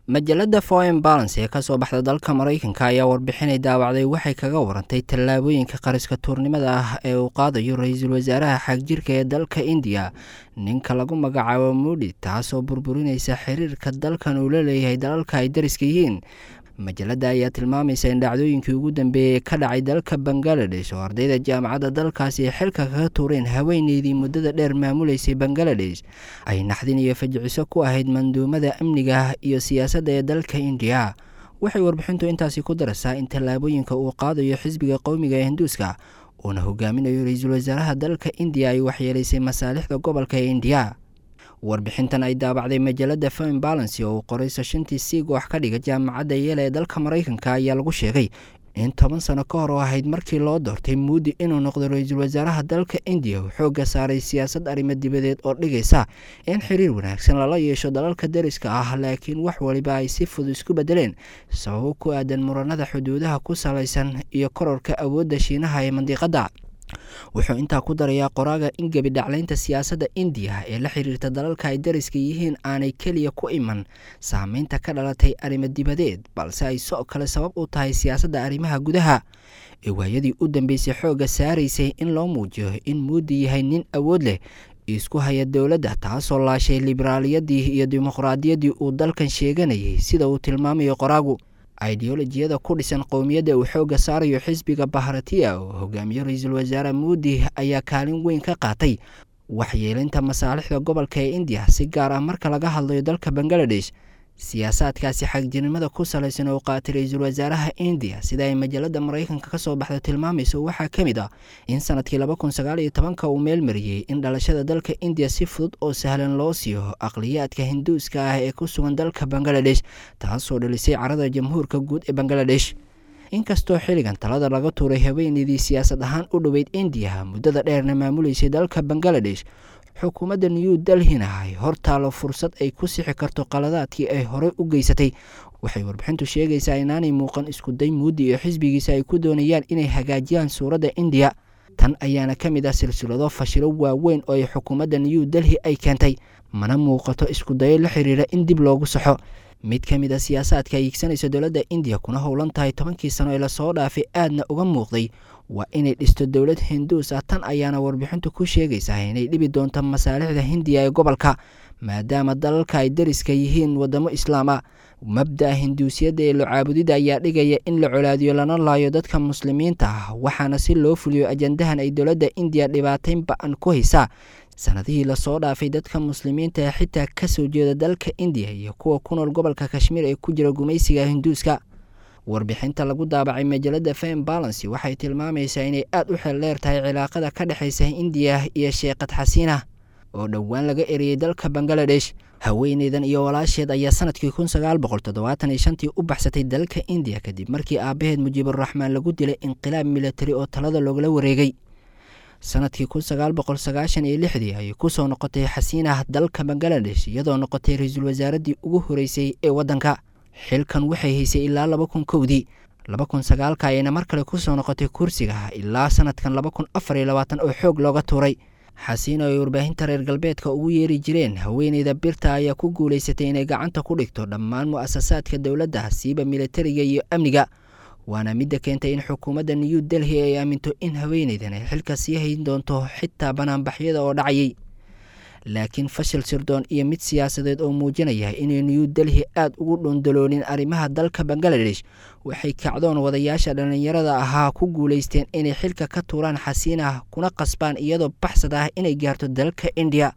Majalada Foreign Balance ee kasoo baxda dalka Maraykanka ayaa warbixinay daawacday waxay kaga warantay tallaabooyinka qariska tuurnimada ah ee uu qaadayo ra-iisul wasaaraha xagjirka ee dalka Indiya, ninka lagu magacaabo Mudi, taasoo burburinaysa xiriirka dalkan uu la leeyahay dalalka ay dariska yihiin. Majalada ayaa tilmaamaysa in dhacdooyinkii ugu dambeeyey ee ka dhacay dalka Bangaladesh, oo ardayda jaamacadda dalkaasi ay xilka kaga tuureen haweeneydii muddada dheer maamuleysay Bangaladesh, ay naxdin iyo fajiciso ku ahayd manduumada amniga iyo siyaasadda ee dalka Indiya. Waxay warbixintu intaasi ku daraysaa in tallaabooyinka uu qaadayo xisbiga qowmiga ee Hinduuska, uuna hogaaminayo ra-iisul wasaaraha dalka Indiya, ay waxyeelaysay masaalixda gobolka ee Indiya. Warbixintan ay daabacday majalada Foreign Balance oo uu qoray sashantii siig wax ka dhiga jaamacadda Yeela ee dalka Maraykanka ayaa lagu sheegay in 10 sano ka hor oo ahayd markii loo doortay Muudi inuu noqdo ra-iisul wasaaraha dalka Indiya, uu xoogga saaray siyaasad arrimo dibadeed oo dhigaysa in xiriir wanaagsan lala yeesho dalalka dariska ah, laakiin wax waliba ay si fudud isku bedeleen sababo ku aadan muranada xuduudaha ku salaysan iyo kororka awoodda Shiinaha ee mandiqadda. Wuxuu intaa ku darayaa qoraaga in gebi dhaclaynta siyaasadda Indiya ee la xiriirta dalalka ay dariska yihiin aanay keliya ku iman saameynta ka dhalatay arrimo dibadeed, balse ay soo kale sabab u tahay siyaasadda arrimaha gudaha ee waayadii u dambeysay xoogga saaraysay in loo muujiyo in Muudi yahay nin awood leh isku haya dowladda, taasoo laashay liberaaliyadii iyo dimuqraadiyaddii uu dalkan sheeganayay, sida uu tilmaamayo qoraagu. Ideolojiyada ku dhisan qowmiyadda uu xoogga saarayo xisbiga Bahratiya oo hogaamiyo ra-iisul wasaare Muudi ayaa kaalin weyn ka qaatay waxyeelinta masaalixda gobolka ee Indiya, si gaar ah marka laga hadlayo dalka Bangaladesh. Siyaasaadkaasi xagjirnimada ku salaysan oo qaatay ra-iisul wasaaraha Indiya, sida ay majalada Maraykanka kasoo baxda tilmaamayso, waxaa ka mid ah in sanadkii 2019-ka uu meelmariyey in dhalashada dalka Indiya si fudud oo sahlan loo siiyo aqliyaadka Hinduuska ah ee ku sugan dalka Bangaladesh, taasoo dhalisay carada jamhuurka guud ee Bangaladesh. Inkastoo xilligan talada laga tuuray haweeneydii siyaasad ahaan u dhoweyd Indiya, muddada dheerna maamuleysay dalka Bangaladesh, xukuumadda New Delhina ay hortaalo fursad ay ku sixi karto qaladaadkii ay horey u geysatay, waxay warbixintu sheegaysaa inaanay muuqan iskuday Muudi iyo xisbigiisa ay ku doonayaan inay hagaajiyaan suuradda Indiya. Tan ayaana ka mid ah silsilado fashilo waaweyn oo ay xukuumadda New Delhi ay keentay, mana muuqato iskudayo la xiriira in dib loogu saxo. Mid ka mid a siyaasaadka ay iigsanayso dowladda Indiya kuna howlan tahay 10-kii sano ee lasoo dhaafay aadna uga muuqday waa inay dhisto dowlad Hinduus ah. Tan ayaana warbixintu ku sheegaysaa inay dhibi doonto masaalixda Hindiya ee gobolka, maadaama dalalka ay dariska yihiin wadamo islaam ah. Mabda'a Hinduusiyadda ee locaabudida ayaa dhigaya in la colaadiyo lana laayo dadka muslimiinta ah, waxaana si loo fuliyo ajandahan ay dowladda Indiya dhibaateyn ba-an ku haysaa sanadihii lasoo dhaafay dadka muslimiinta ee xitaa kasoo jeeda dalka Indiya iyo kuwa ku nool gobolka Kashmiir ee ku jira gumaysiga Hinduuska. Warbixinta lagu daabacay majalada Foreign Balance waxay tilmaamaysaa inay aada u xeel dheer tahay cilaaqada ka dhexaysa Indiya iyo Sheekhad Xasiina oo dhowaan laga eriyey dalka Bangaladesh. Haweeneydan iyo walaasheed ayaa sanadkii 1975-tii u baxsatay dalka Indiya kadib markii aabaheed Mujiiburaxmaan lagu dilay inqilaab milatari oo talada loogala wareegay. Sanadkii 1996-dii ayay kusoo noqotay Xasiinah dalka Bangaladesh, iyadoo noqotay ra-iisul wasaaraddii ugu horeysay ee waddanka. Xilkan waxay haysay ilaa 2001-dii, 2009-ka ayayna mar kale kusoo noqotay kursiga ilaa sanadkan 2024 oo xoog looga tuuray. Xasiina oo ay warbaahinta reer galbeedka ugu yeeri jireen haweeneyda birta ayaa ku guulaysatay inay gacanta ku dhigto dhammaan mu-asasaadka dowladda, siiba militariga iyo amniga, waana midda keentay in xukuumadda New Delhi ay aaminto in haweeneydan ay xilka sii hayn doonto xitaa banaanbaxyada oo dhacayay. Laakiin fashil sirdoon iyo mid siyaasadeed oo muujinaya inay New Delhi aada ugu dhundaloonin arrimaha dalka Bangaladesh, waxay kacdoon wadayaasha dhallinyarada ahaa ku guulaysteen inay xilka ka tuuraan Xasiinah kuna qasbaan iyadoo baxsad ah inay gaarto dalka Indiya.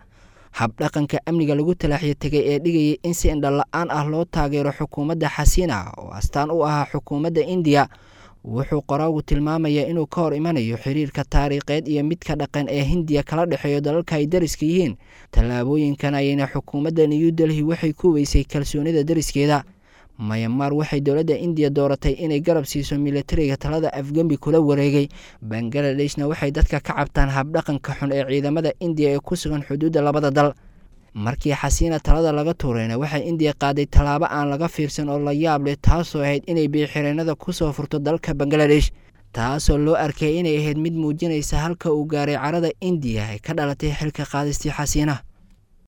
Habdhaqanka amniga lagu talaaxyo tegay ee dhigayay in si indhala-aan ah loo taageero xukuumadda Xasiina oo astaan u ahaa xukuumadda Indiya, wuxuu qoraagu tilmaamayaa inuu ka hor imanayo xiriirka taariikheed iyo midka dhaqan ee Hindiya kala dhexeeyo dalalka ay dariska yihiin. Tallaabooyinkan ayayna xukuumadda New Delhi waxay ku weysay kalsoonida dariskeeda. Mayamaar waxay dowladda Indiya dooratay inay garab siiso militariga talada afgembi kula wareegay. Bangladeshna waxay dadka ka cabtaan habdhaqanka xun ee ciidamada Indiya ee ku sugan xuduudda labada dal. Markii Xasiina talada laga tuurayna, waxay Indiya qaaday tallaabo aan laga fiirsan oo la yaab leh, taasoo ahayd inay biixireenada kusoo furto dalka Bangaladesh, taasoo loo arkay inay ahayd mid muujinaysa halka uu gaaray carada Indiya ee ka dhalatay xilka qaadistii Xasiina.